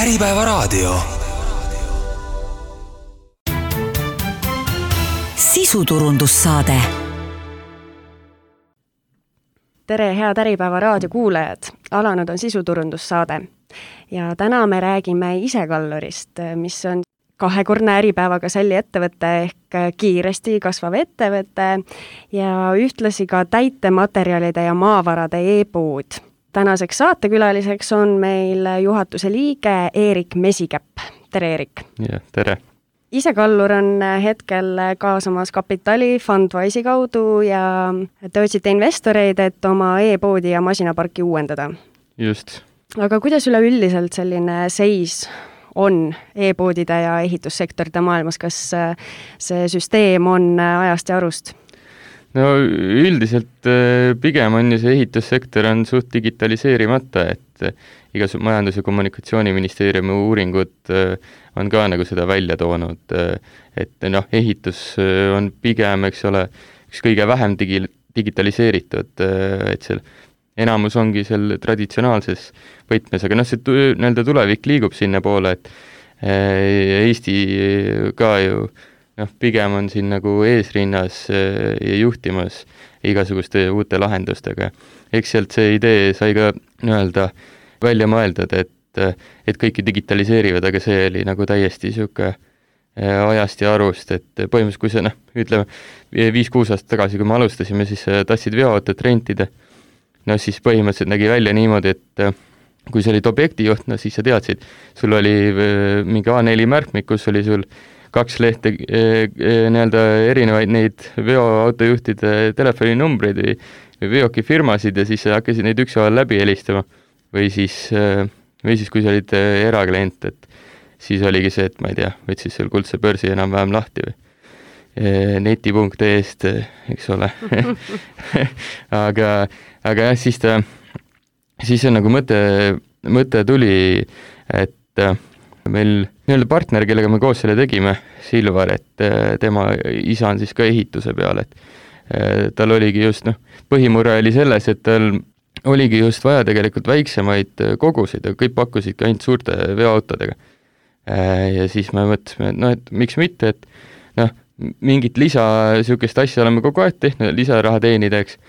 Äripäevaraadio. Sisuturundussaade. Tere, head Äripäevaraadio kuulajad! Alanud on sisuturundussaade. Ja täna me räägime Isekallurist, mis on kahekordne Äripäevaga sälli ettevõte ehk kiiresti kasvav ettevõte ja ühtlasi ka täitematerjalide ja maavarade e-pood. Tänaseks saatekülaliseks on meil juhatuse liige Eerik Mesikäpp. Tere, Eerik! Ja, tere! Isekallur on hetkel kaasamas kapitali Fundwise'i kaudu ja te otsite investoreid, et oma e-poodi ja masinaparki uuendada. Just. Aga kuidas üleüldiselt selline seis on e-poodide ja ehitussektorite maailmas? Kas see süsteem on ajast ja arust? No üldiselt pigem on ju see ehitussektor on suht digitaliseerimata, et igasugused Majandus- ja Kommunikatsiooniministeeriumi uuringud on ka nagu seda välja toonud, et ehitus on pigem, eks ole, üks kõige vähem digitaliseeritud, et seal enamus ongi seal traditsionaalses võtmes, aga see nii-öelda tulevik liigub sinna poole, et Eesti ka ju pigem on siin nagu eesrinnas ja juhtimas igasuguste uute lahendustega. Eks sealt see idee sai ka nii-öelda välja mõeldud, et kõiki digitaliseerivad, aga see oli nagu täiesti siuke ajast ja arust, et põhimõtteliselt kui see, ütleme 5-6 aastat tagasi, kui me alustasime, siis tassid veoautot rentida, siis põhimõtteliselt nägi välja niimoodi, et kui sa olid objektijuht, siis sa teadsid, sul oli mingi A4 märkmik, kus oli sul 2 lehte nii-öelda erinevaid neid veoautojuhtide telefoninumbreid või veokifirmasid ja siis sa hakkasid neid ükshaaval läbi helistama. Või siis kui sa olid eraklient, et siis oligi see, et ma ei tea, võtsis seal Kuldse börsi enam-vähem lahti või neti.ee-st, eks ole. aga jah, siis on nagu mõte tuli, et meil nii-öelda partner, kellega me koos selle tegime, Silvar, et tema isa on siis ka ehituse peal, et tal oligi just, põhimurre oli selles, et tal oligi just vaja tegelikult väiksemaid kogusid ja kõik pakkusidki ainult suurte veoautodega. Ja siis me mõtlesime, et miks mitte, et mingit sihukest asja oleme kogu aeg tehnud, lisaraha teenida, eks.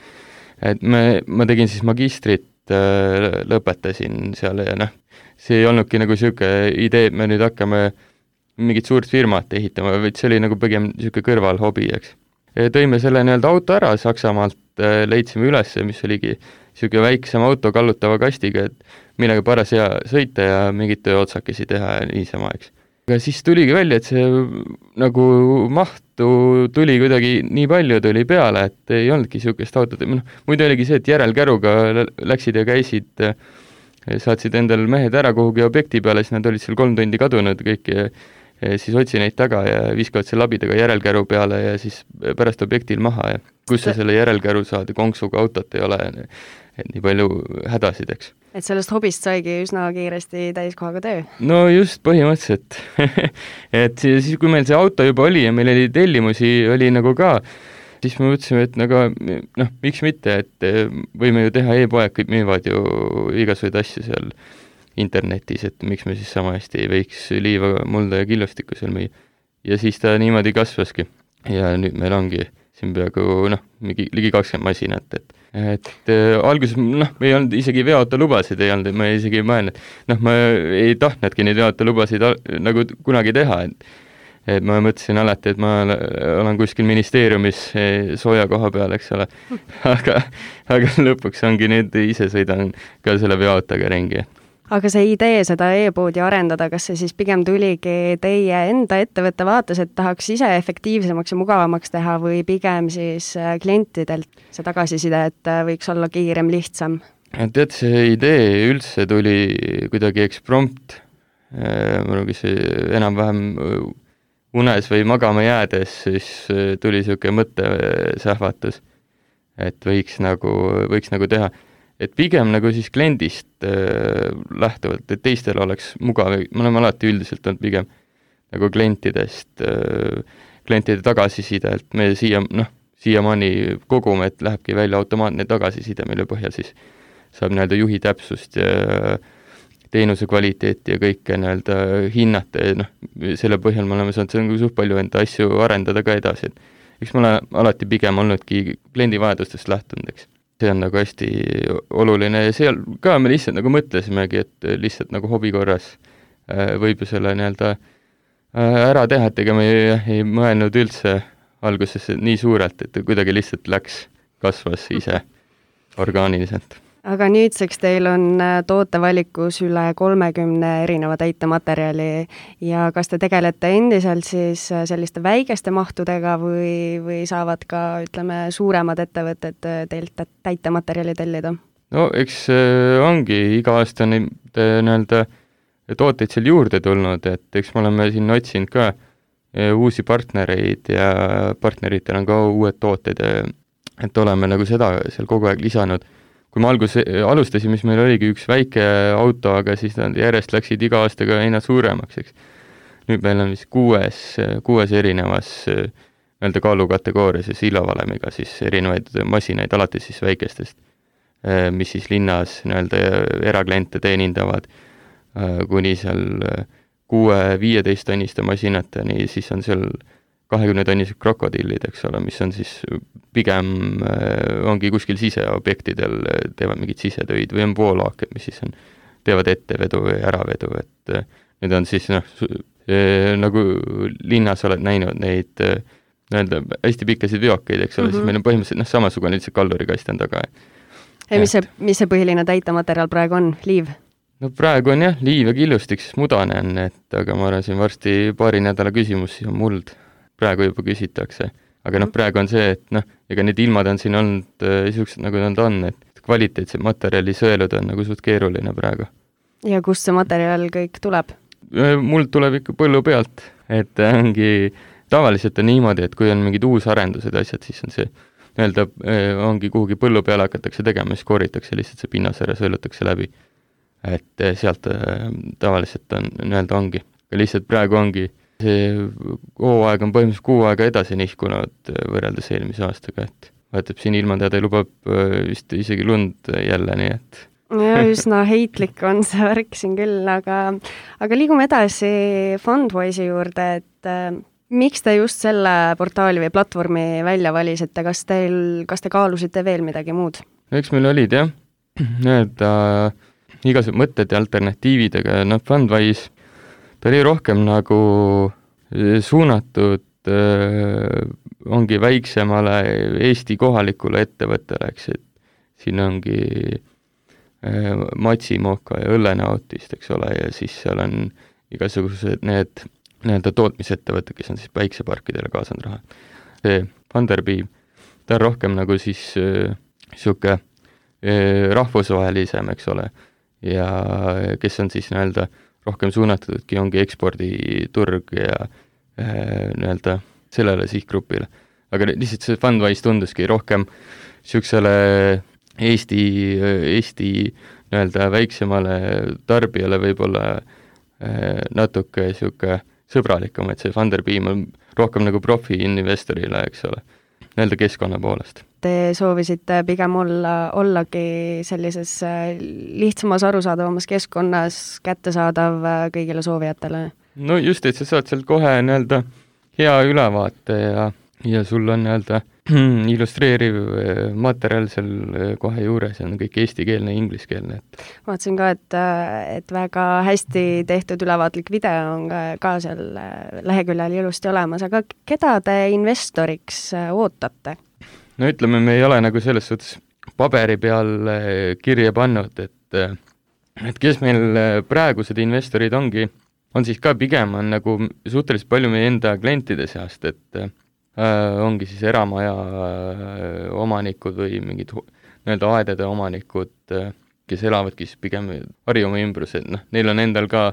Et ma tegin siis magistrit, lõpetasin seal ja see ei olnudki nagu sihuke idee, et me nüüd hakkame mingit suurt firmat ehitama, vaid see oli nagu pigem sihuke kõrvalhobi, eks. Tõime selle nii-öelda auto ära Saksamaalt, leidsime üles, mis oligi sihuke väiksem auto kallutava kastiga, et millega paras hea sõita ja mingid tööotsakesi teha ja niisama, eks. Aga siis tuligi välja, et see nagu mahtu tuli kuidagi nii palju tuli peale, et ei olnudki sihukest autot. Muidu oligi see, et järelkäruga läksid ja käisid, saatsid endal mehed ära kuhugi objekti peale, siis nad olid seal 3 tundi kadunud kõik ja siis otsi neid taga ja viskavad selle labidaga järelkäru peale ja siis pärast objektil maha ja kus sa selle järelkäru saad ja konksuga autot ei ole, et nii palju hädasid, eks. Et sellest hobist saigi üsna kiiresti täiskohaga töö? No just põhimõtteliselt. Et siis, kui meil see auto juba oli ja meil oli tellimusi, oli nagu ka, siis me mõtlesime, et miks mitte, et võime ju teha e-poed, kõik müüvad ju igasuguseid asju seal internetis, et miks me siis sama hästi ei võiks liiva, mulda ja killustikku seal müüa. Ja siis ta niimoodi kasvaski. Ja nüüd meil ongi siin peaaegu ligi 20 masinat, et alguses me ei olnud isegi veoautolubasid ei olnud, ma isegi ei mõelnud, ma ei tahtnudki neid veoautolubasid nagu kunagi teha, et ma mõtlesin alati, et ma olen kuskil ministeeriumis sooja koha peal, eks ole, aga lõpuks ongi nüüd ise sõidan ka selle veoautoga ringi. Aga see idee seda e-poodi arendada, kas see siis pigem tuligi teie enda ettevõtte vaates, et tahaks ise efektiivsemaks ja mugavamaks teha või pigem siis klientidelt see tagasiside, et võiks olla kiirem, lihtsam? Tead, see idee üldse tuli kuidagi eksprompt. Muidugi see enam-vähem unes või magama jäädes, siis tuli siuke mõttesähvatus, et võiks nagu teha. Et pigem nagu siis kliendist lähtuvalt, et teistel oleks mugav, me oleme alati üldiselt olnud pigem nagu klientidest, klientide tagasisidelt, me siiamaani kogume, et lähebki välja automaatne tagasiside, mille põhjal siis saab nii-öelda juhi täpsust ja teenuse kvaliteeti ja kõike nii-öelda hinnata ja selle põhjal me oleme saanud nagu suht palju enda asju arendada ka edasi, et eks ma olen alati pigem olnudki kliendi vajadustest lähtunud, eks. See on nagu hästi oluline ja seal ka me lihtsalt nagu mõtlesimegi, et lihtsalt nagu hobi korras võib ju selle nii-öelda ära teha, et ega me ei mõelnud üldse alguses nii suurelt, et kuidagi lihtsalt kasvas ise orgaaniliselt. Aga nüüdseks teil on tootevalikus üle 30 erineva täitematerjali ja kas te tegelete endiselt siis selliste väikeste mahtudega või saavad ka, ütleme, suuremad ettevõtted teilt täitematerjali tellida? No eks ongi iga aasta nii-öelda tooteid seal juurde tulnud, et eks me oleme siin otsinud ka uusi partnereid ja partneritel on ka uued tooted, et oleme nagu seda seal kogu aeg lisanud. Kui me alustasime, siis meil oligi üks väike auto, aga siis nad järjest läksid iga aastaga aina suuremaks, eks. Nüüd meil on vist kuues erinevas nii-öelda kaalukategoorias ja sillavalemiga siis erinevaid masinaid, alati siis väikestest, mis siis linnas nii-öelda erakliente teenindavad, kuni seal 6-15 tonniste masinateni, siis on seal 20 tonnised krokodillid, eks ole, mis on siis pigem ongi kuskil siseobjektidel, teevad mingid sisetöid või on voolaaked, mis siis teevad ettevedu või äravedu, et need on siis nagu linnas oled näinud neid nii-öelda hästi pikkasid veokeid, eks ole, siis meil on põhimõtteliselt samasugune lihtsalt kallurikast on taga. Ja mis see põhiline täitematerjal praegu on? Liiv? No praegu on jah, liiv ja killustik, siis mudane on, et aga ma arvan, siin varsti paari nädala küsimus, siis on muld. Praegu juba küsitakse. Aga praegu on see, et ega need ilmad on siin olnud niisugused, nagu nad on, et kvaliteetsed materjali sõeluda on nagu suht keeruline praegu. Ja kust see materjal kõik tuleb? Muld tuleb ikka põllu pealt, et ongi, tavaliselt on niimoodi, et kui on mingid uusarendused asjad, siis on see, nii-öelda ongi kuhugi põllu peale hakatakse tegema, siis kooritakse lihtsalt see pinnas ära, sõelutakse läbi. Et sealt tavaliselt on, nii-öelda ongi. Ja lihtsalt praegu ongi see hooaeg on põhimõtteliselt 6 aega edasi nihkunud võrreldes eelmise aastaga, et vahetab siin ilmateade lubab vist isegi lund jälle, nii et ja üsna heitlik on see värk siin küll, aga liigume edasi Fundwise'i juurde, et miks te just selle portaali või platvormi välja valisite, kas te kaalusite veel midagi muud? Eks meil olid jah, igasugused mõtted ja alternatiividega, Fundwise ta oli rohkem nagu suunatud ongi väiksemale Eesti kohalikule ettevõttele, eks, et siin ongi Matsimooka ja õllenautist, eks ole, ja siis seal on igasugused need tootmisettevõtted, kes on siis päikseparkidele kaasanud raha. See Funderbeam, ta on rohkem nagu siis siuke rahvusvahelisem, eks ole, ja kes on siis nii-öelda rohkem suunatudki ongi eksporditurg ja nii-öelda sellele sihtgrupile. Aga lihtsalt see Fundwise tunduski rohkem niisugusele Eesti nii-öelda väiksemale tarbijale võib-olla natuke niisugune sõbralikum, et see Funderbeam on rohkem nagu profi-investorile, eks ole, nii-öelda keskkonna poolest. Te soovisite pigem ollagi sellises lihtsamas arusaadavamas keskkonnas kättesaadav kõigile soovijatele? No just, et sa saad sealt kohe nii-öelda hea ülevaate ja sul on nii-öelda illustreeriv materjal seal kohe juures ja on kõik eestikeelne ja ingliskeelne. Vaatasin ka, et väga hästi tehtud ülevaatlik video on ka seal leheküljel ilusti olemas, aga keda te investoriks ootate? No ütleme, me ei ole nagu selles suhtes paberi peal kirja pannud, et kes meil praegused investorid on siis ka pigem on nagu suhteliselt palju meie enda klientide seast, et ongi siis eramaja omanikud või mingid nii-öelda aedade omanikud, kes elavadki siis pigem Harjumaa ümbrused, neil on endal ka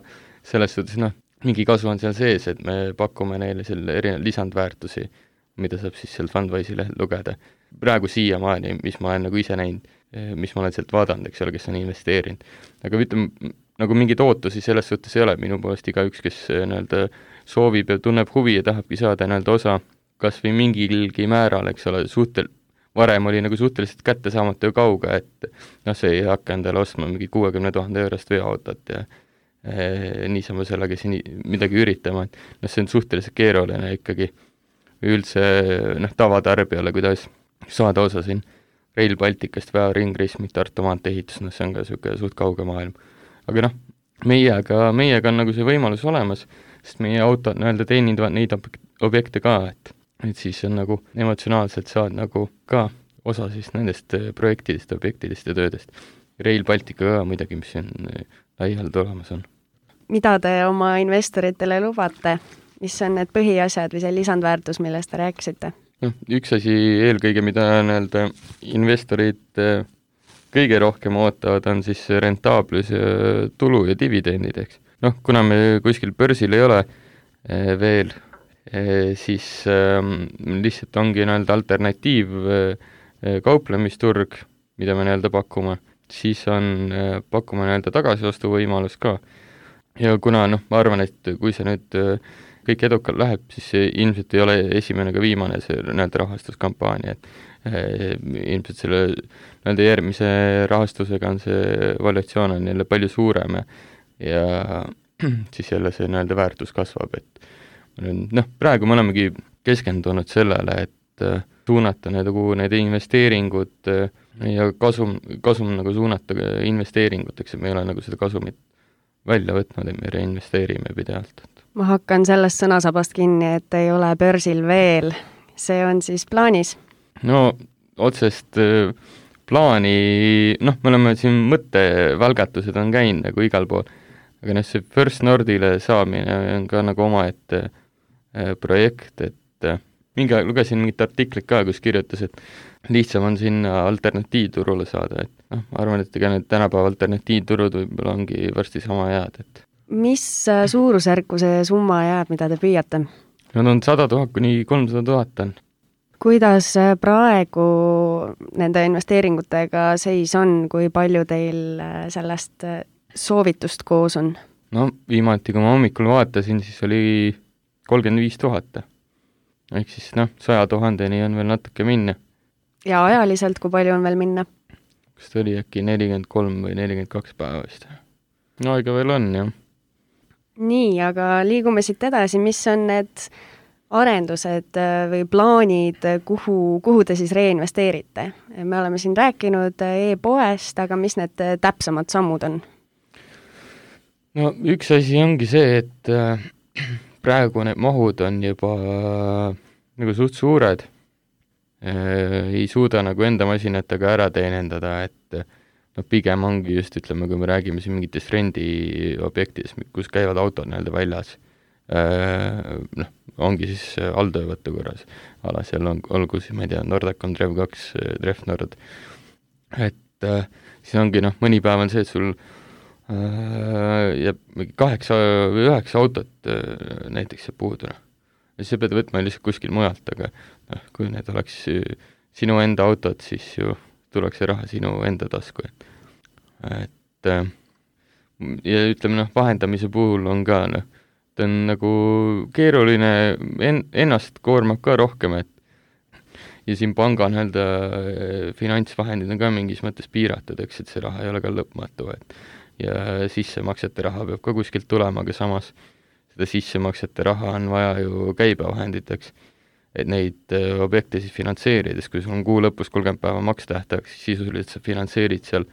selles suhtes, mingi kasu on seal sees, et me pakume neile selle erinevaid lisandväärtusi, mida saab siis seal Fundwise'i lehel lugeda. Praegu siiamaani, mis ma olen nagu ise näinud, mis ma olen sealt vaadanud, eks ole, kes on investeerinud. Aga ütleme, nagu mingid ootusi selles suhtes ei ole, minu poolest igaüks, kes nii-öelda soovib ja tunneb huvi ja tahabki saada nii-öelda osa kas või mingilgi määral, eks ole, varem oli nagu suhteliselt kättesaamatu ja kauge, et noh, see ei hakka endale ostma mingi 60 000 eurost veoautot ja niisama sellega siin midagi üritama, et noh, see on suhteliselt keeruline ikkagi üldse noh, tavatarbijale, kuidas saada osa siin Rail Balticast, Väo ringrismik, Tartu maantee ehitus, noh, see on ka niisugune suht kauge maailm. Aga noh, meiega on nagu see võimalus olemas, sest meie autod nii-öelda teenindavad neid objekte ka, et siis on nagu emotsionaalselt saad nagu ka osa siis nendest projektidest, objektidest ja töödest. Rail Baltica ka muidugi, mis on laialt olemas on. Mida te oma investoritele lubate? Mis on need põhiasjad või see lisandväärtus, millest te rääkisite? No, üks asi eelkõige, mida nii-öelda investorid kõige rohkem ootavad, on siis rentaablus ja tulu ja dividendid, eks. Noh, kuna me kuskil börsil ei ole veel, siis lihtsalt ongi nii-öelda alternatiiv kauplemisturg, mida me nii-öelda pakume, siis pakume nii-öelda tagasiostu võimalus ka. Ja kuna ma arvan, et kui see nüüd kõik edukalt läheb, siis ilmselt ei ole esimene ka viimane see nii-öelda rahastuskampaania, et ilmselt selle nii-öelda järgmise rahastusega on see valuatsioon on jälle palju suurem ja siis jälle see nii-öelda väärtus kasvab, et praegu me olemegi keskendunud sellele, et suunata need investeeringud ja kasum nagu suunata investeeringuteks, et me ei ole nagu seda kasumit välja võtnud, et me reinvesteerime pidevalt. Ma hakkan sellest sõnasabast kinni, et ei ole börsil veel. See on siis plaanis? No otsest plaani, me oleme siin mõttevälgatused on käinud nagu igal pool, aga see First Nordile saamine on ka nagu omaette projekt, et lugesin mingit artiklit ka, kus kirjutas, et lihtsam on sinna alternatiivturule saada, et ma arvan, et ega need tänapäeva alternatiivturud võib-olla ongi varsti sama jääd, et mis suurusjärku see summa jääb, mida te püüate? Nad on 100 000 kuni 300 000 on. Kuidas praegu nende investeeringutega seis on, kui palju teil sellest soovitust koos on? No viimati, kui ma hommikul vaatasin, siis oli 35 000. Ehk siis 100 000-ni on veel natuke minna. Ja ajaliselt, kui palju on veel minna? Kas ta oli äkki 43 või 42 päeva vist? No aega veel on, jah. Nii, aga liigume siit edasi, mis on need arendused või plaanid, kuhu te siis reinvesteerite? Me oleme siin rääkinud e-poest, aga mis need täpsemad sammud on? No üks asi ongi see, et praegu need mahud on juba nagu suht suured, ei suuda nagu enda masinatega ära teenendada, et pigem ongi just, ütleme, kui me räägime siin mingitest rendiobjektidest, kus käivad autod nii-öelda väljas, ongi siis alltöövõttu korras ala, seal olgu siis, ma ei tea, Nordacon, Trev2, Trefnord, et siis ongi mõni päev on see, et sul jääb 8 või 9 autot näiteks jääb puudu. Ja siis sa pead võtma lihtsalt kuskil mujalt, aga kui need oleks sinu enda autod, siis ju tuleks see raha sinu enda tasku. Et ja ütleme, vahendamise puhul on ka, ta on nagu keeruline, ennast koormab ka rohkem, et ja siin panga finantsvahendid on ka mingis mõttes piiratud, eks, et see raha ei ole ka lõpmatu, et ja sissemaksete raha peab ka kuskilt tulema, aga samas seda sissemaksete raha on vaja ju käibevahenditeks, et neid objekte siis finantseerides, kui sul on kuu lõpus 30 päeva makstähtajaks, siis sisuliselt sa finantseerid seal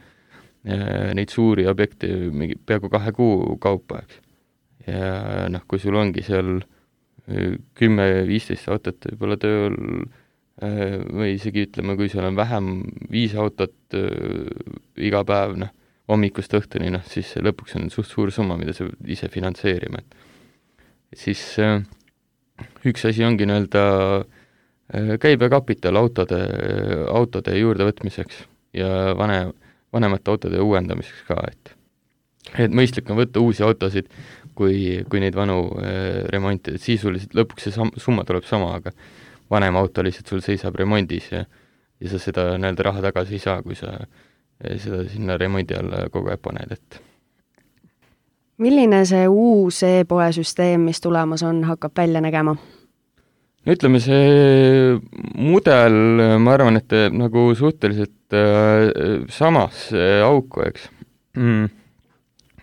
neid suuri objekte peaaegu 2 kuu kaupa, eks. Ja kui sul ongi seal 10-15 autot võib-olla tööl või isegi ütleme, kui seal on vähem 5 autot iga päev, hommikust õhtuni, siis lõpuks on suht suur summa, mida sa ise finantseerima. Et siis üks asi ongi nii-öelda käibekapital autode juurdevõtmiseks ja vanemate autode uuendamiseks ka, et mõistlik on võtta uusi autosid, kui neid vanu remontida, et sisuliselt lõpuks see summa tuleb sama, aga vanem auto lihtsalt sul seisab remondis ja sa seda nii-öelda raha tagasi ei saa, kui sa seda sinna remondi alla kogu aeg paned, et milline see uus e-poe süsteem, mis tulemas on, hakkab välja nägema? ütleme, see mudel, ma arvan, et nagu suhteliselt samasse auku, eks.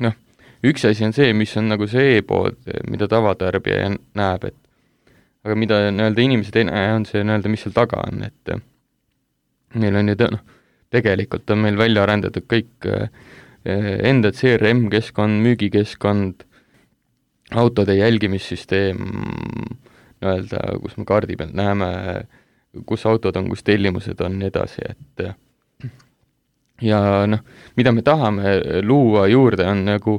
Noh, üks asi on see, mis on nagu see e-pood, mida tavatarbija näeb, et aga mida nii-öelda inimesed ei näe, on see nii-öelda, mis seal taga on, et meil on ju tegelikult on meil välja arendatud kõik enda CRM-keskkond, müügikeskkond, autode jälgimissüsteem, nii-öelda, kus me kaardi pealt näeme, kus autod on, kus tellimused on, nii edasi, et ja mida me tahame luua juurde, on nagu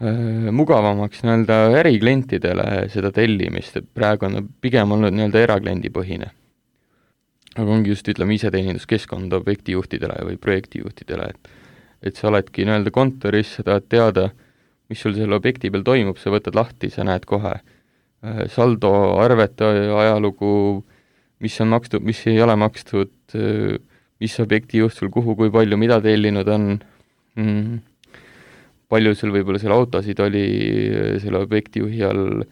mugavamaks nii-öelda äriklientidele seda tellimist, et praegu on pigem olnud nii-öelda erakliendipõhine. Aga ongi just, ütleme, iseteeninduskeskkond objektijuhtidele või projektijuhtidele, et sa oledki nii-öelda kontoris, sa tahad teada, mis sul selle objekti peal toimub, sa võtad lahti, sa näed kohe saldo, arvete ajalugu, mis on makstud, mis ei ole makstud, mis objektijuht sul kuhu, kui palju, mida tellinud on, palju sul võib-olla seal autosid oli selle objektijuhi all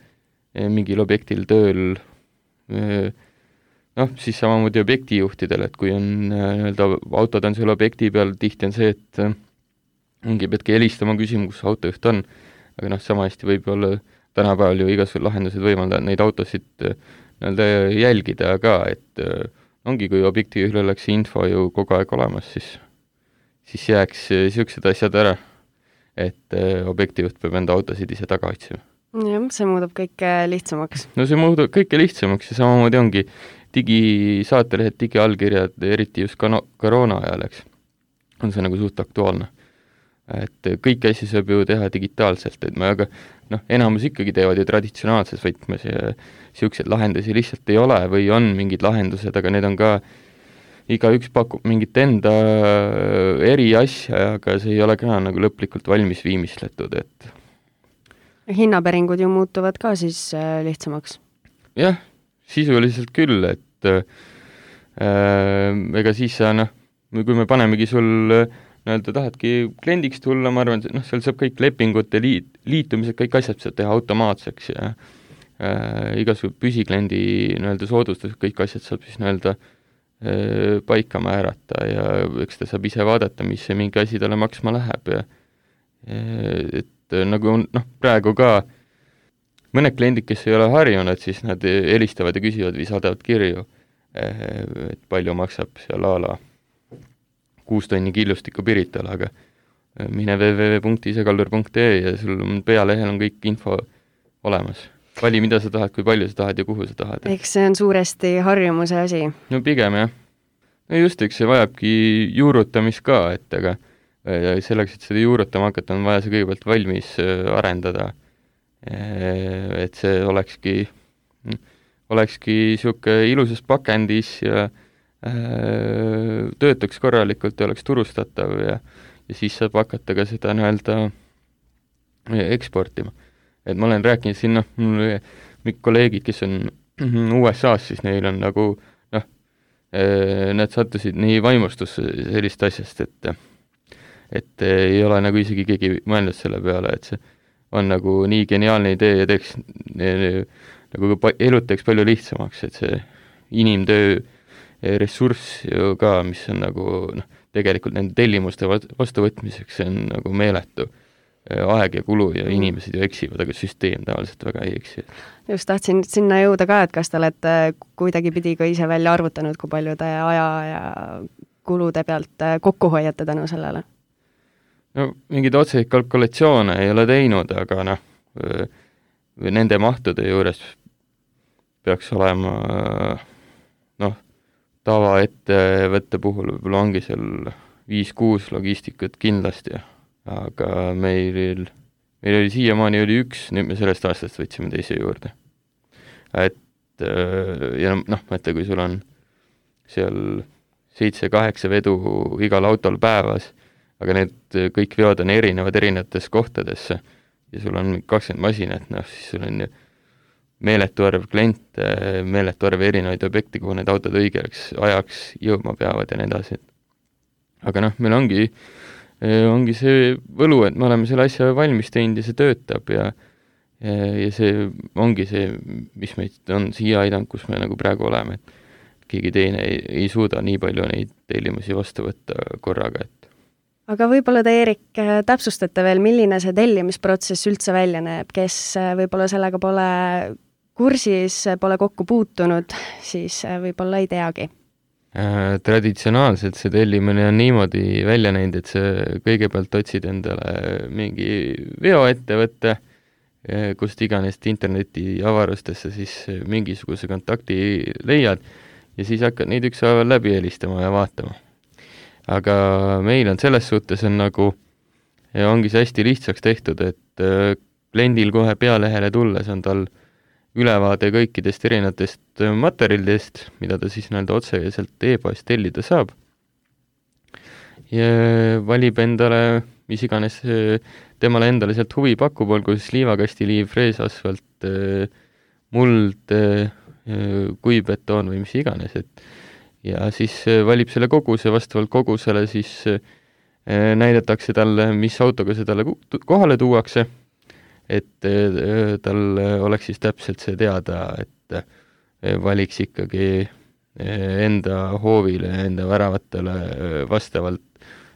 mingil objektil tööl, siis samamoodi objektijuhtidel, et kui on nii-öelda autod on selle objekti peal, tihti on see, et ongi peadki helistama küsima, kus autojuht on, aga sama hästi võib-olla tänapäeval ju igasugused lahendused võimaldavad neid autosid nii-öelda jälgida ka, et ongi, kui objektijuhil oleks info ju kogu aeg olemas, siis jääks niisugused asjad ära, et objektijuht peab enda autosid ise taga otsima. Jah, see muudab kõike lihtsamaks. No see muudab kõike lihtsamaks ja samamoodi ongi digisaatelehed, digiallkirjad, eriti just koroona ajal, eks, on see nagu suht aktuaalne. Et kõiki asju saab ju teha digitaalselt, aga enamus ikkagi teevad ju traditsionaalses võtmes ja niisuguseid lahendusi lihtsalt ei ole või on mingid lahendused, aga need on ka, igaüks pakub mingit enda eri asja, aga see ei ole ka nagu lõplikult valmis viimistletud, et hinnapäringud ju muutuvad ka siis lihtsamaks? Jah, sisuliselt küll, et ega siis sa, kui me panemegi sul nii-öelda tahadki kliendiks tulla, ma arvan, seal saab kõik lepingute liitumised, kõik asjad saab teha automaatseks ja igasugused püsikliendi nii-öelda soodustused, kõik asjad saab siis nii-öelda paika määrata ja eks ta saab ise vaadata, mis see mingi asi talle maksma läheb ja et nagu praegu ka mõned kliendid, kes ei ole harjunud, siis nad helistavad ja küsivad või saadavad kirju, et palju maksab seal ala 6 tonni killustikku Piritale, aga mine www.isekallur.ee ja sul pealehel on kõik info olemas. Vali, mida sa tahad, kui palju sa tahad ja kuhu sa tahad. Eks see on suuresti harjumuse asi. No pigem jah. No just, eks see vajabki juurutamist ka, et aga selleks, et seda juurutama hakata, on vaja see kõigepealt valmis arendada. Et see olekski niisugune ilusas pakendis ja töötaks korralikult ja oleks turustatav ja siis saab hakata ka seda nii-öelda eksportima. Et ma olen rääkinud siin, mul kolleegid, kes on USA-s, siis neil on nagu, nad sattusid nii vaimustusse sellist asjast, et ei ole nagu isegi keegi mõelnud selle peale, et see on nagu nii geniaalne idee ja teeks nagu elud teeks palju lihtsamaks, et see inimtöö ressurss ju ka, mis on nagu tegelikult nende tellimuste vastuvõtmiseks, see on nagu meeletu aeg ja kulu ja inimesed ju eksivad, aga süsteem tavaliselt väga ei eksi. Just tahtsin sinna jõuda ka, et kas te olete kuidagi pidi ka ise välja arvutanud, kui palju te aja ja kulude pealt kokku hoiate tänu sellele? No mingeid otseid kalkulatsioone ei ole teinud, aga nende mahtude juures peaks olema tavaettevõtte puhul võib-olla ongi seal 5-6 logistikat kindlasti, aga meil oli siiamaani oli üks, nüüd me sellest aastast võtsime teise juurde. Et ja mõtle, kui sul on seal 7-8 vedu igal autol päevas, aga need kõik veod on erinevates kohtadesse ja sul on 20 masinat, siis sul on meeletu arv kliente, meeletu arv erinevaid objekte, kuhu need autod õigeks ajaks jõudma peavad ja nii edasi. Aga meil ongi see võlu, et me oleme selle asja valmis teinud ja see töötab ja see ongi see, mis meid on siia aidanud, kus me nagu praegu oleme, et keegi teine ei suuda nii palju neid tellimusi vastu võtta korraga, et aga võib-olla te, Eerik, täpsustate veel, milline see tellimisprotsess üldse välja näeb, kes võib-olla sellega pole kursis, pole kokku puutunud, siis võib-olla ei teagi. Traditsionaalselt see tellimine on niimoodi välja näinud, et see kõigepealt otsid endale mingi veoettevõtte, kust iganes interneti avarustesse siis mingisuguse kontakti leiad ja siis hakkad neid ükshaaval läbi helistama ja vaatama. Aga meil on selles suhtes on nagu, ja ongi see hästi lihtsaks tehtud, et kliendil kohe pealehele tulles on tal ülevaade kõikidest erinevatest materjalidest, mida ta siis otseselt e-poest tellida saab. Ja valib endale, mis iganes temale endale sealt huvi pakub, olgu siis liivakastiliiv, freesasfalt, muld, kuivbetoon või mis iganes, et ja siis valib selle koguse, vastavalt kogusele siis näidatakse talle, mis autoga see talle kohale tuuakse, et tal oleks siis täpselt see teada, et valiks ikkagi enda hoovile, enda väravatele vastavalt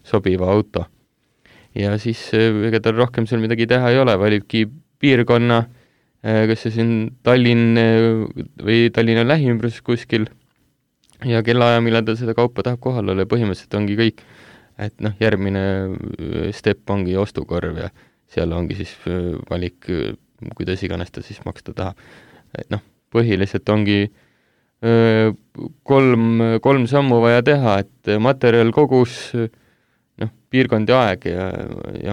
sobiva auto. Ja siis ega tal rohkem seal midagi teha ei ole, valibki piirkonna, kas see siin Tallinn või Tallinna lähiümbrus kuskil, ja kellaaja, millal ta seda kaupa tahab kohal olla, põhimõtteliselt ongi kõik. Et järgmine step ongi ostukorv ja seal ongi siis valik, kuidas iganes ta siis maksta tahab. Et põhiliselt ongi kolm sammu vaja teha, et materjal, kogus, piirkond ja aeg ja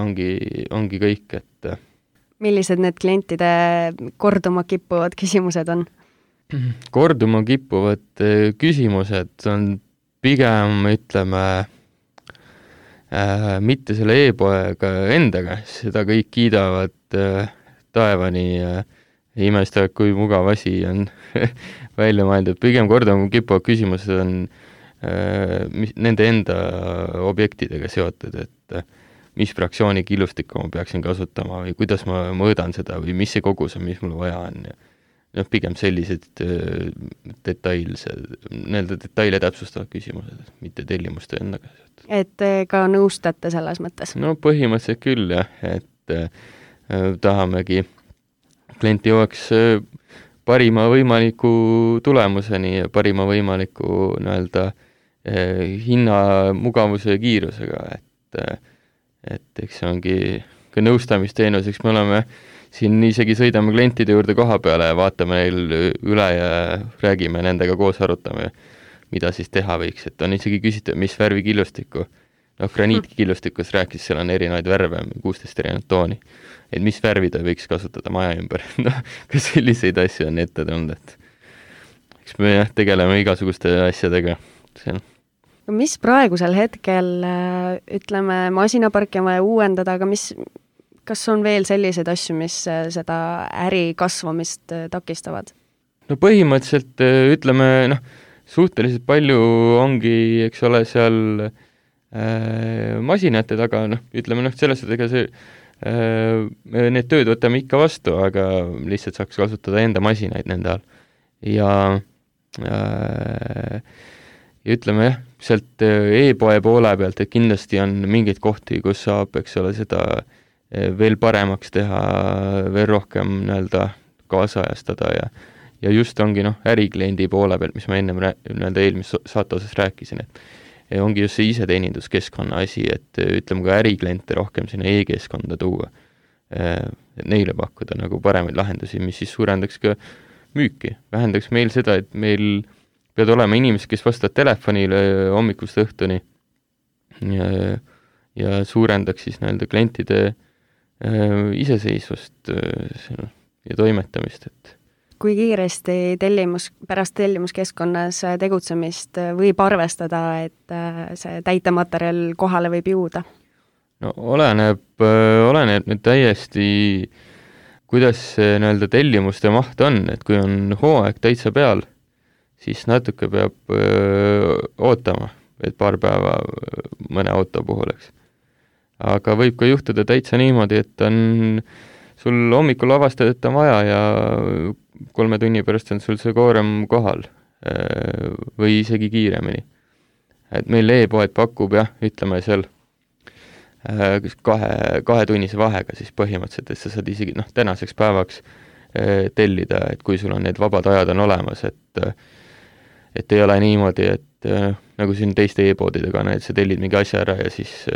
ongi kõik, et millised need klientide korduma kippuvad küsimused on? Korduma kippuvad küsimused on pigem, ütleme, mitte selle e-poega endaga, seda kõik kiidavad taevani ja imestavad, kui mugav asi on välja mõeldud. Pigem korduma kippuvad küsimused on nende enda objektidega seotud, et mis fraktsiooni killustikku ma peaksin kasutama või kuidas ma mõõdan seda või mis see kogus on, mis mul vaja on ja pigem sellised detaile täpsustavad küsimused, mitte tellimuste endaga. Et ka nõustate selles mõttes? No põhimõtteliselt küll, jah, et tahamegi klienti jõuaks parima võimaliku tulemuseni ja parima võimaliku hinna, mugavuse ja kiirusega, et eks see ongi ka nõustamisteenus, eks me oleme siin isegi sõidame klientide juurde koha peale ja vaatame neil üle ja räägime nendega koos, arutame, mida siis teha võiks, et on isegi küsitud, mis värvi killustikku. Graniitkillustikus rääkis, seal on erinevaid värve, 16 erinevat tooni, et mis värvi ta võiks kasutada maja ümber. Ka selliseid asju on ette tulnud, et eks me tegeleme igasuguste asjadega. Mis praegusel hetkel, ütleme, masinaparki on vaja uuendada, aga kas on veel selliseid asju, mis seda äri kasvamist takistavad? No põhimõtteliselt, ütleme, suhteliselt palju ongi, eks ole, seal masinate taga, ütleme, selles, et ega see need tööd võtame ikka vastu, aga lihtsalt saaks kasutada enda masinaid nende all. Ja ütleme jah, sealt e-poe poole pealt, et kindlasti on mingeid kohti, kus saab, eks ole, seda veel paremaks teha, veel rohkem kaasajastada ja just ongi ärikliendi poole pealt, mis ma ennem eelmise saate osas rääkisin, et ongi just see iseteeninduskeskkonna asi, et ütleme ka ärikliente rohkem sinna e-keskkonda tuua, neile pakkuda paremaid lahendusi, mis siis suurendaks ka müüki, vähendaks meil seda, et meil peavad olema inimesed, kes vastavad telefonile hommikust õhtuni ja suurendaks siis klientide iseseisvust ja toimetamist, et kui kiiresti pärast tellimuskeskkonnas tegutsemist võib arvestada, et see täitematerjal kohale võib jõuda? No oleneb nüüd täiesti, kuidas see tellimuste maht on, et kui on hooaeg täitsa peal, siis natuke peab ootama, et paar päeva mõne auto puhul, eks. Aga võib ka juhtuda täitsa niimoodi, et on sul hommikul avastad, et on vaja ja 3 tunni pärast on sul see koorem kohal või isegi kiiremini. Et meil e-poed pakub jah, ütleme seal kahetunnise vahega siis põhimõtteliselt, et sa saad isegi tänaseks päevaks tellida, et kui sul on need vabad ajad on olemas, et ei ole niimoodi, et nagu siin teiste e-poodidega, et sa tellid mingi asja ära ja siis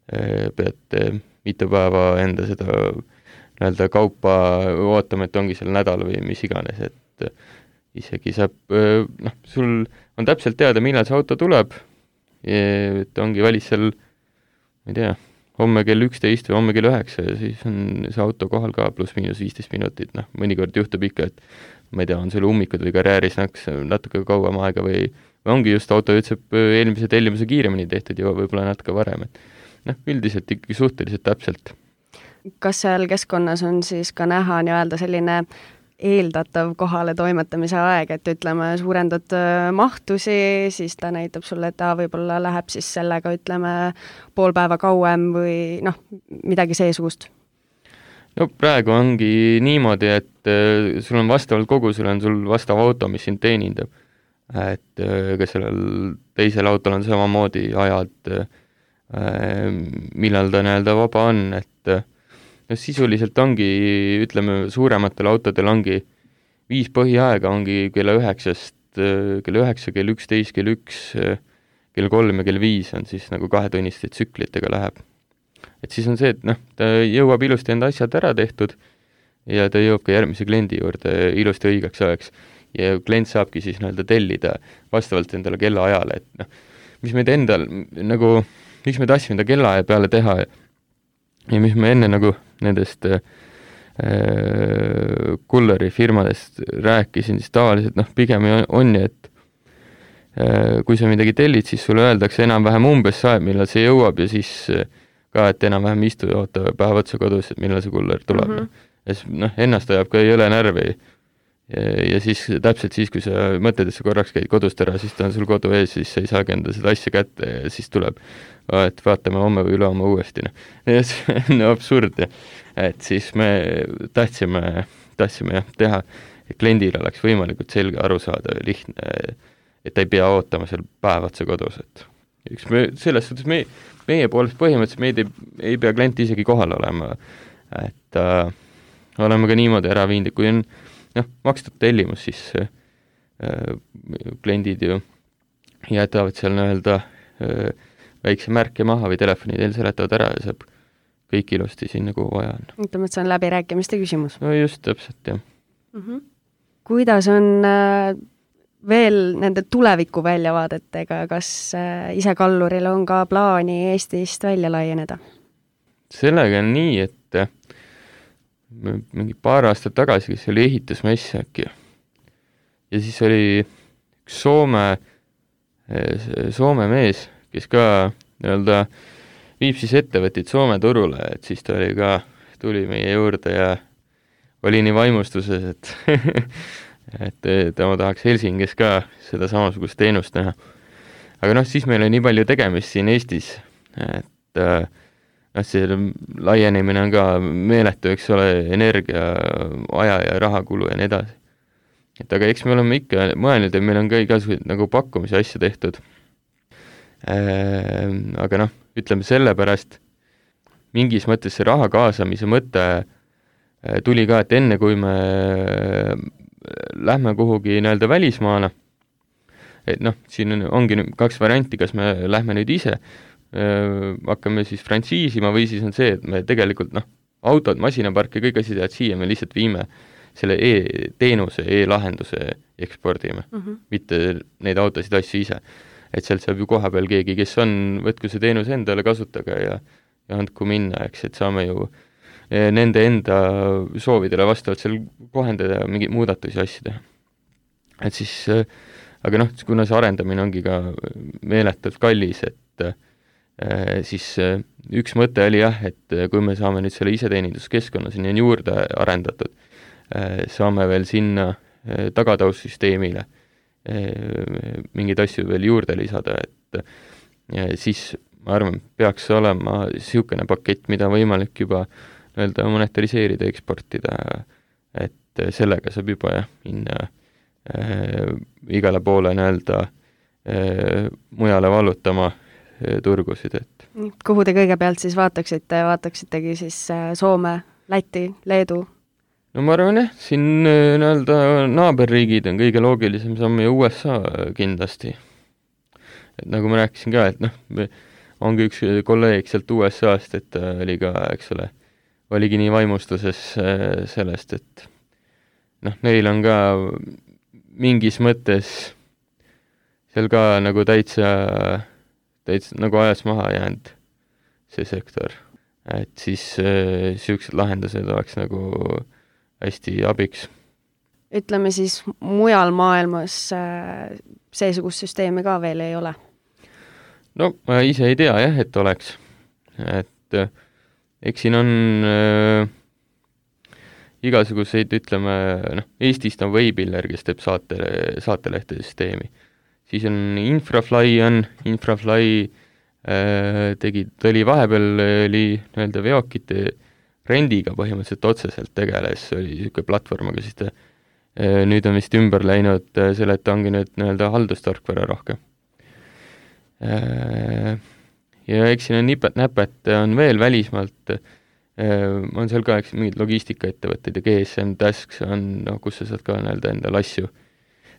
pead mitu päeva enda seda nii-öelda kaupa ootama, et ongi seal nädal või mis iganes, et isegi saab, sul on täpselt teada, millal see auto tuleb, et ongi välis seal, ma ei tea, homme kell 11 või homme kell 9 ja siis on see auto kohal ka pluss-miinus 15 minutit, mõnikord juhtub ikka, et ma ei tea, on sul ummikud või karjääris natuke kauem aega või ongi just auto ütleb eelmise tellimuse kiiremini tehtud ja võib-olla natuke varem, et üldiselt ikkagi suhteliselt täpselt. Kas seal keskkonnas on siis ka näha nii-öelda selline eeldatav kohale toimetamise aeg, et ütleme, suurendad mahtusi, siis ta näitab sulle, et ta võib-olla läheb siis sellega, ütleme, pool päeva kauem või midagi seesugust? No praegu ongi niimoodi, et sul on vastavalt kogusele on sul vastav auto, mis sind teenindab. Et ka sellel teisel autol on samamoodi ajad, millal ta nii-öelda vaba on, et sisuliselt ongi, ütleme, suurematel autodel ongi 5 põhiaega, ongi kella 9, kell 11, kell 1, kell 3 ja kell 5 on siis nagu 2-tunniste tsüklitega läheb. Et siis on see, et ta jõuab ilusti enda asjad ära tehtud ja ta jõuab ka järgmise kliendi juurde ilusti õigeks ajaks. Ja klient saabki siis nii-öelda tellida vastavalt endale kellaajale, et mis meid endal nagu, miks me tahtsime enda kellaaja peale teha ja mis me enne nagu nendest kulleri firmadest rääkisin, siis tavaliselt pigem on ju, et kui sa midagi tellid, siis sulle öeldakse enam-vähem umbes saab, millal see jõuab ja siis ka, et enam-vähem istu ja oota päev otsa kodus, et millal see kuller tuleb. Ja siis ennast ajab ka jõle närvi ja siis täpselt siis, kui sa mõtled, et sa korraks käid kodust ära, siis ta on sul kodu ees, siis sa ei saagi enda seda asja kätte ja siis tuleb, et vaatame homme või ülehomme uuesti. Ja see on absurd, et siis me tahtsime jah teha, et kliendil oleks võimalikult selge aru saada ja lihtne, et ta ei pea ootama seal päev otsa kodus, et üks me selles suhtes meie poolest põhimõtteliselt meid ei pea klient isegi kohal olema, et oleme ka niimoodi ära viinud, kui on makstud tellimus, siis kliendid ju jätavad seal nii-öelda väikse märke maha või telefoni teel seletavad ära ja saab kõik ilusti siin nagu vaja on. Ütleme, et see on läbirääkimiste küsimus. No just, täpselt, jah. Kuidas on veel nende tuleviku väljavaadetega, kas ise kalluril on ka plaani Eestist välja laieneda? Sellega on nii, et mingi paar aastat tagasi, kes oli ehitusmess äkki. Ja siis oli üks Soome mees, kes ka nii-öelda viib siis ettevõtid Soome turule, et siis ta tuli meie juurde ja oli nii vaimustuses, et tema tahaks Helsingis ka seda samasugust teenust näha. Aga siis meil on nii palju tegemist siin Eestis, et see laienemine on ka meeletu, eks ole, energia, aja ja rahakulu ja nii edasi. Et aga eks me oleme ikka mõelnud, et meil on ka igasugused nagu pakkumise asja tehtud. Aga ütleme sellepärast, mingis mõttes see raha kaasamise mõte tuli ka, et enne kui me lähme kuhugi nii-öelda välismaale, et siin ongi 2 varianti, kas me lähme nüüd ise, hakkame siis frantsiisima või siis on see, et me tegelikult autod, masinapark ja kõik asjad jäävad siia, me lihtsalt viime selle e-teenuse, e-lahenduse ekspordime, mitte neid autosid asju ise. Et sealt saab ju koha peal keegi, kes on, võtku see teenus endale, kasutage ja andku minna, eks, et saame ju nende enda soovidele vastavalt seal kohendada ja mingeid muudatusi asju teha. Et siis, aga kuna see arendamine ongi ka meeletult kallis, et siis üks mõte oli jah, et kui me saame nüüd selle iseteeninduskeskkonna sinna juurde arendatud, saame veel sinna tagataussüsteemile mingeid asju veel juurde lisada, et siis ma arvan, peaks olema niisugune pakett, mida võimalik juba nii-öelda monetariseerida, eksportida, et sellega saab juba minna igale poole nii-öelda mujale vallutama turgusid, et kuhu te kõigepealt siis vaataksitegi siis Soome, Läti, Leedu? no ma arvan siin nii-öelda naaberriigid on kõige loogilisem samm ja USA kindlasti. Et nagu ma rääkisin ka, et ongi üks kolleeg sealt USA-st, et oli ka, eks ole, oligi nii vaimustuses sellest, et neil on ka mingis mõttes seal ka nagu täitsa nagu ajas maha jäänud see sektor. Et siis siuksed lahendused oleks nagu hästi abiks. Ütleme siis mujal maailmas seesugust süsteemi ka veel ei ole? No ma ise ei tea et oleks. Et eks siin on igasuguseid, ütleme, Eestist on Veipiller, kes teeb saatelehtede süsteemi. Siis on Infrafly oli vahepeal nii-öelda veokite rendiga põhimõtteliselt otseselt tegeles, oli niisugune platvorm, aga siis ta nüüd on vist ümber läinud selle, et ta ongi nüüd nii-öelda haldustarkvara rohkem. Ja eks siin on nipet-näpet, on veel välismaalt, on seal ka mingid logistikaettevõtted ja GSM Tasks on, kus sa saad ka nii-öelda endale asju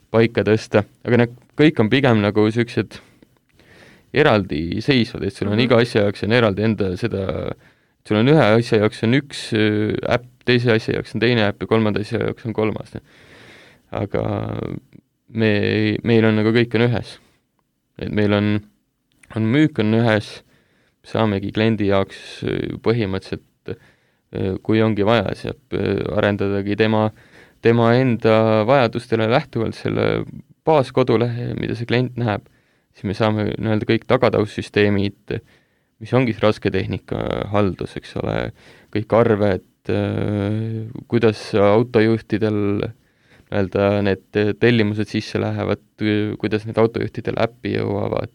paika tõsta, aga kõik on pigem nagu sellised eraldi seisvad, et sul on iga asja jaoks on eraldi enda seda, sul on ühe asja jaoks on üks äpp, teise asja jaoks on teine äpp ja kolmanda asja jaoks on kolmas. Aga meil on nagu kõik on ühes. Et meil on müük on ühes, saamegi kliendi jaoks põhimõtteliselt, kui ongi vaja, saab arendadagi tema enda vajadustele lähtuvalt selle baaskodulehe, mida see klient näeb, siis me saame nii-öelda kõik tagataussüsteemid, mis ongi rasketehnika haldus, eks ole, kõik arved, kuidas autojuhtidel nii-öelda need tellimused sisse lähevad, kuidas need autojuhtidel äppi jõuavad,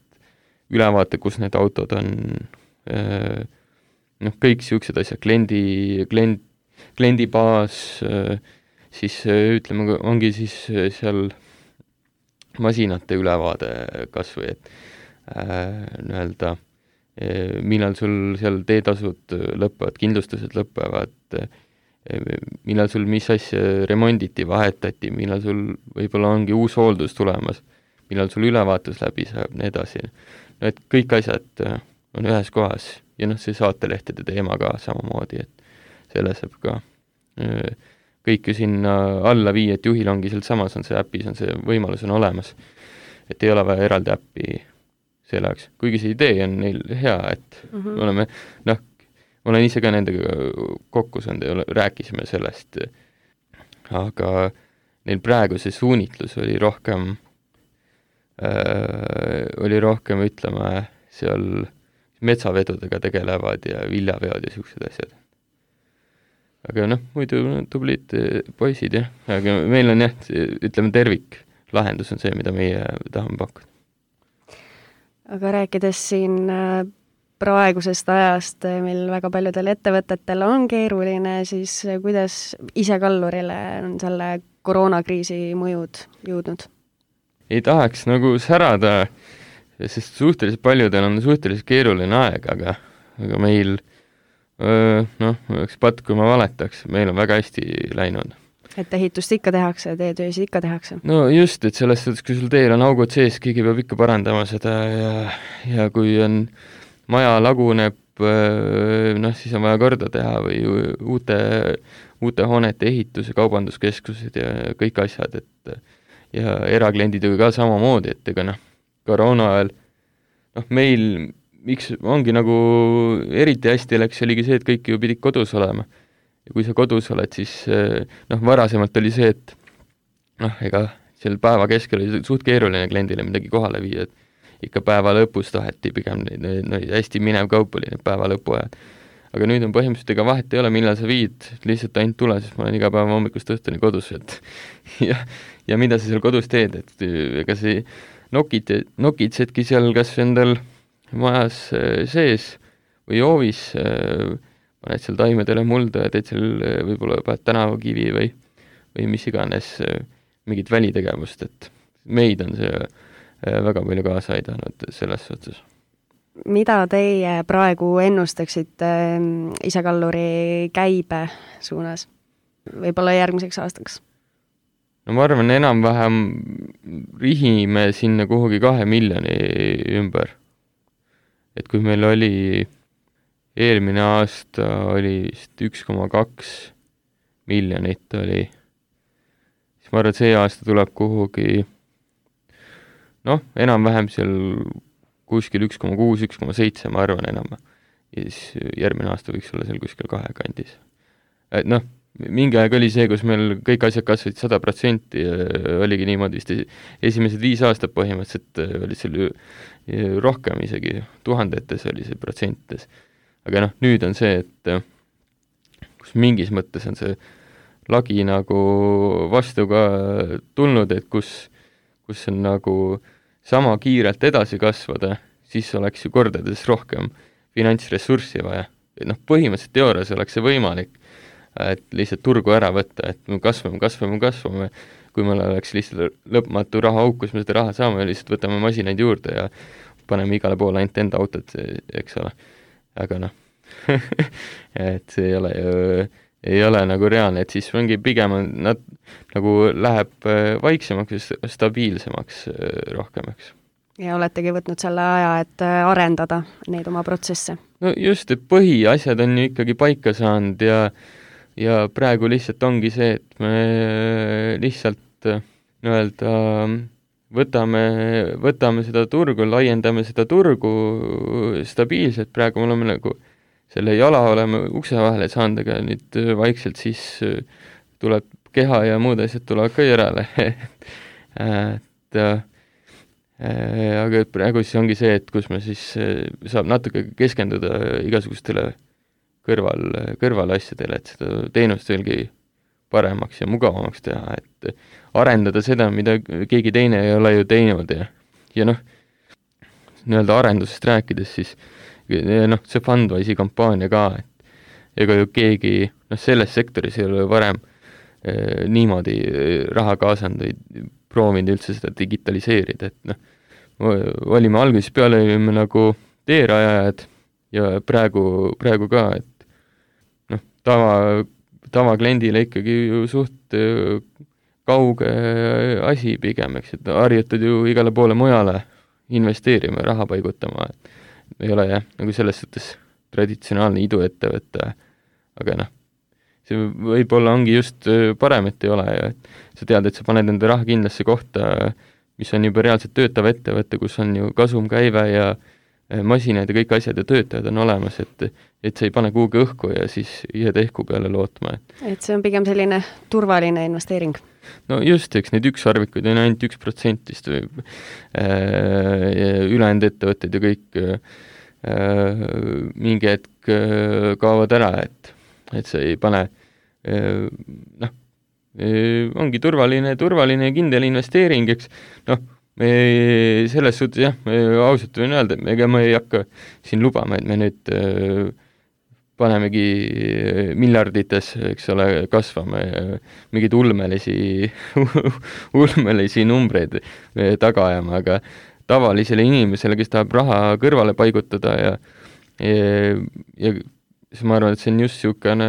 ülevaate, kus need autod on, kõik siuksed asjad, kliendi baas, siis ütleme, ongi siis seal masinate ülevaade kasvõi, et nii-öelda millal sul seal teetasud lõpevad, kindlustused lõpevad, millal sul mis asja remonditi, vahetati, millal sul võib-olla ongi uus hooldus tulemas, millal sul ülevaatus läbi saab, nii edasi. Et kõik asjad on ühes kohas ja see saatelehtede teema ka samamoodi, et selle saab ka kõik ju sinna alla viia, et juhil ongi sealt samas on see äpis, on see võimalus on olemas. Et ei ole vaja eraldi äppi selle jaoks. Kuigi see idee on neil hea, et me oleme, olen ise ka nendega kokku saanud ja rääkisime sellest, aga neil praegu see suunitlus oli rohkem, ütleme, seal metsavedudega tegelevad ja viljaveod ja siuksed asjad. Aga muidu tublid poisid, jah. Aga meil on ütleme tervik. Lahendus on see, mida meie tahame pakkuda. Aga rääkides siin praegusest ajast, mil väga paljudel ettevõtetel on keeruline, siis kuidas isekallurile on selle koroonakriisi mõjud jõudnud? Ei tahaks nagu särada, sest suhteliselt paljudel on suhteliselt keeruline aeg, aga meil üks patt, kui ma valetaks, meil on väga hästi läinud. Et ehitust ikka tehakse, teetöösid ikka tehakse? No just, et selles suhtes, kui sul teel on augud sees, keegi peab ikka parandama seda ja kui on maja laguneb, siis on vaja korda teha või uute hoonete ehitus ja kaubanduskeskused ja kõik asjad, et ja erakliendidega ka samamoodi, et ega koroona ajal meil miks ongi nagu eriti hästi läks, oligi see, et kõik ju pidid kodus olema. Ja kui sa kodus oled, siis varasemalt oli see, et ega seal päeva keskel oli suht keeruline kliendile midagi kohale viia, et ikka päeva lõpus taheti pigem hästi minev kaup oli need päeva lõpu ajad. Aga nüüd on põhimõtteliselt ega vahet ei ole, millal sa viid, lihtsalt ainult tule, sest ma olen iga päeva hommikust õhtuni kodus, et ja mida sa seal kodus teed, et ega see nokitsedki seal kas endal majas sees või hoovis paned seal taimedele mulda ja teed seal võib-olla paned tänavakivi või mis iganes mingit välitegevust, et meid on see väga palju kaasa aidanud selles suhtes. Mida teie praegu ennustaksite Isekalluri käibe suunas? Võib-olla järgmiseks aastaks? No ma arvan, enam-vähem rihime sinna kuhugi 2 miljoni ümber. Et kui meil oli eelmine aasta oli vist 1,2 miljonit oli, siis ma arvan, et see aasta tuleb kuhugi enam-vähem seal kuskil 1,6, 1,7, ma arvan enam. Ja siis järgmine aasta võiks olla seal kuskil 2 kandis. Et mingi aeg oli see, kus meil kõik asjad kasvasid 100% ja oligi niimoodi vist esimesed 5 aastat põhimõtteliselt oli seal rohkem isegi, tuhandetes oli see protsentides. Aga nüüd on see, et kus mingis mõttes on see lagi nagu vastu ka tulnud, et kus on nagu sama kiirelt edasi kasvada, siis oleks ju kordades rohkem finantsressurssi vaja. Põhimõtteliselt teoorias oleks see võimalik, et lihtsalt turgu ära võtta, et me kasvame, kui meil oleks lihtsalt lõpmatu rahaauk, kus me seda raha saame, lihtsalt võtame masinaid juurde ja paneme igale poole ainult enda autot, eks ole. Aga et see ei ole nagu reaalne, et siis ongi pigem nad nagu läheb vaiksemaks ja stabiilsemaks rohkem, eks. Ja oletegi võtnud selle aja, et arendada neid oma protsesse? No just, et põhiasjad on ju ikkagi paika saanud ja praegu lihtsalt ongi see, et me lihtsalt võtame seda turgu, laiendame seda turgu stabiilselt, praegu me oleme nagu selle jala oleme ukse vahele saanud, aga nüüd vaikselt siis tuleb keha ja muud asjad tulevad ka järele. Aga praegu siis ongi see, et kus me siis saab natuke keskenduda igasugustele kõrvalasjadele, et seda teenust veelgi paremaks ja mugavamaks teha, et arendada seda, mida keegi teine ei ole ju teinud ja nii-öelda arendusest rääkides siis see Fundwise'i kampaania ka, et ega ju keegi selles sektoris ei ole varem niimoodi raha kaasanud või proovinud üldse seda digitaliseerida, et olime algusest peale olime nagu teerajajad ja praegu ka, et tavakliendile ikkagi ju suht kauge asi pigem, eks, et harjutad ju igale poole mujale investeerima ja raha paigutama, et ei ole nagu selles suhtes traditsionaalne iduettevõte, aga see võib-olla ongi just parem, et ei ole ja sa tead, et sa paned enda raha kindlasse kohta, mis on juba reaalselt töötav ettevõte, kus on ju kasumkäive ja masinad ja kõik asjad ja töötajad on olemas, et sa ei pane kuhugi õhku ja siis jääd ehku peale lootma. Et see on pigem selline turvaline investeering? No just, eks neid ükssarvikuid on ainult 1% või ülejäänud ettevõtted ja kõik mingi hetk kaovad ära, et sa ei pane ongi turvaline ja kindel investeering, eks me selles suhtes jah, me ausalt võin öelda, et ega me ei hakka siin lubama, et me nüüd panemegi miljardites, eks ole, kasvame mingeid ulmelisi numbreid taga ajama, aga tavalisele inimesele, kes tahab raha kõrvale paigutada ja siis ma arvan, et see on just niisugune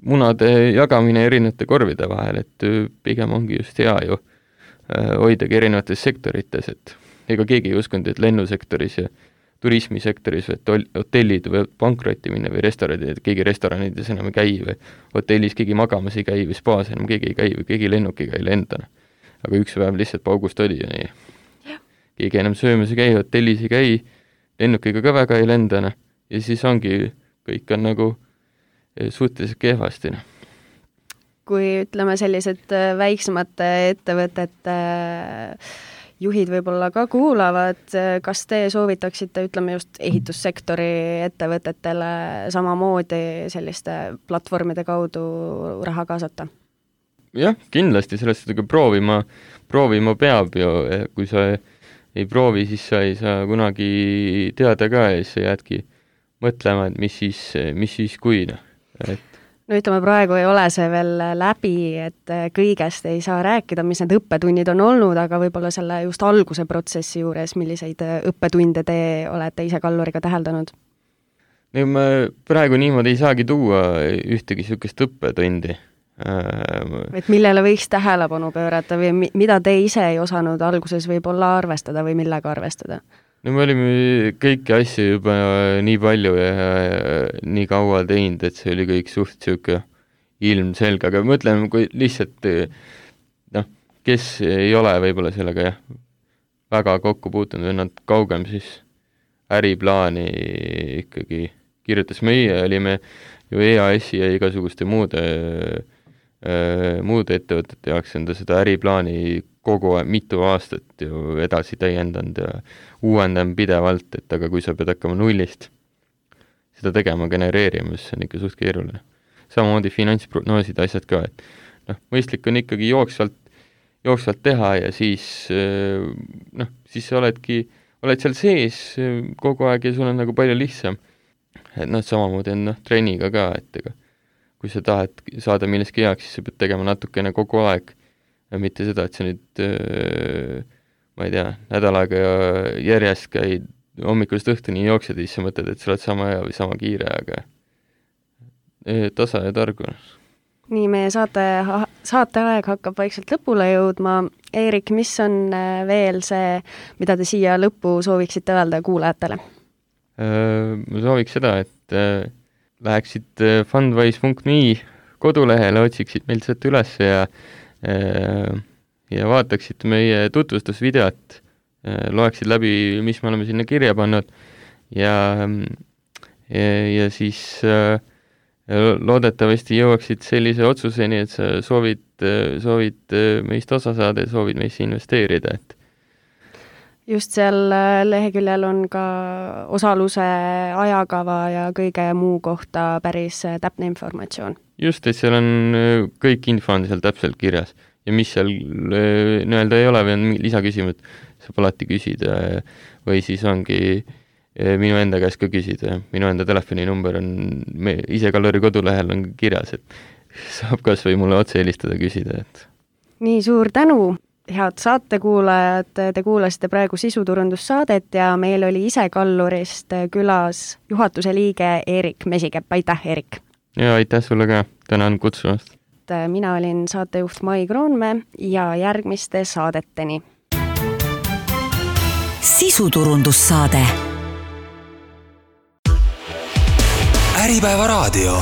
munade jagamine erinevate korvide vahel, et pigem ongi just hea ju hoidagi erinevates sektorites, et ega keegi ei uskunud, et lennusektoris ja turismisektoris või hotellid või pankrotti minna või restoranid, keegi restoranides enam ei käi või hotellis keegi magamas ei käi või spaas enam keegi ei käi või keegi lennukiga ei lenda. Aga üks päev lihtsalt paugust oli ju nii. Keegi enam söömas ei käi, hotellis ei käi, lennukiga ka väga ei lenda ja siis ongi, kõik on nagu suhteliselt kehvasti. Kui ütleme sellised väiksemate ettevõtete juhid võib-olla ka kuulavad, kas te soovitaksite, ütleme just ehitussektori ettevõtetele samamoodi selliste platvormide kaudu raha kaasata? Jah, kindlasti sellest proovima peab ju, kui sa ei proovi, siis sa ei saa kunagi teada ka ja siis sa jäädki mõtlema, et mis siis kui, et no ütleme, praegu ei ole see veel läbi, et kõigest ei saa rääkida, mis need õppetunnid on olnud, aga võib-olla selle just alguse protsessi juures, milliseid õppetunde te olete ise kalluriga täheldanud? no ma praegu niimoodi ei saagi tuua ühtegi niisugust õppetundi. Et millele võiks tähelepanu pöörata või mida te ise ei osanud alguses võib-olla arvestada või millega arvestada? no me olime kõiki asju juba nii palju ja nii kaua teinud, et see oli kõik suht niisugune ilmselge, aga mõtleme, kui lihtsalt kes ei ole võib-olla sellega väga kokku puutunud või nad kaugem, siis äriplaani ikkagi kirjutas. Meie olime ju EAS-i ja igasuguste muude ettevõtete jaoks enda seda äriplaani kogu aeg, mitu aastat ju edasi täiendanud ja uuendame pidevalt, et aga kui sa pead hakkama nullist seda tegema, genereerima, siis see on ikka suht keeruline. Samamoodi finantsprognoosid, asjad ka, et mõistlik on ikkagi jooksvalt teha ja siis siis sa oled seal sees kogu aeg ja sul on nagu palju lihtsam. Et samamoodi on treeniga ka, et ega kui sa tahad saada milleski heaks, siis sa pead tegema natukene kogu aeg. Ja mitte seda, et sa nüüd, ma ei tea, nädal aega järjest käid hommikulist õhtuni jooksed ja siis sa mõtled, et sa oled sama hea või sama kiire, aga tasa ja targu. Nii, meie saateaeg hakkab vaikselt lõpule jõudma. Eerik, mis on veel see, mida te siia lõppu sooviksite öelda kuulajatele? Ma sooviks seda, et läheksid fundwise.me kodulehele, otsiksid meilt sealt üles ja vaataksid meie tutvustusvideot, loeksid läbi, mis me oleme sinna kirja pannud ja siis loodetavasti jõuaksid sellise otsuseni, et sa soovid meist osa saada ja soovid meisse investeerida, et just seal leheküljel on ka osaluse ajakava ja kõige muu kohta päris täpne informatsioon. Just, et seal on kõik info on seal täpselt kirjas ja mis seal nii-öelda ei ole või on lisaküsimust, saab alati küsida või siis ongi minu enda käest ka küsida. Minu enda telefoninumber on ise Kalluri kodulehel on kirjas, et saab kas või mulle otse helistada küsida. Et nii, suur tänu! Head saatekuulajad, te kuulasite praegu sisuturundussaadet ja meil oli ise Kallurist külas juhatuse liige Eerik Mesikepp. Aitäh, Eerik! Ja aitäh sulle ka, tänan kutsumast! Mina olin saatejuht Mai Kroonmäe ja järgmiste saadeteni. Sisuturundussaade. Äripäeva raadio.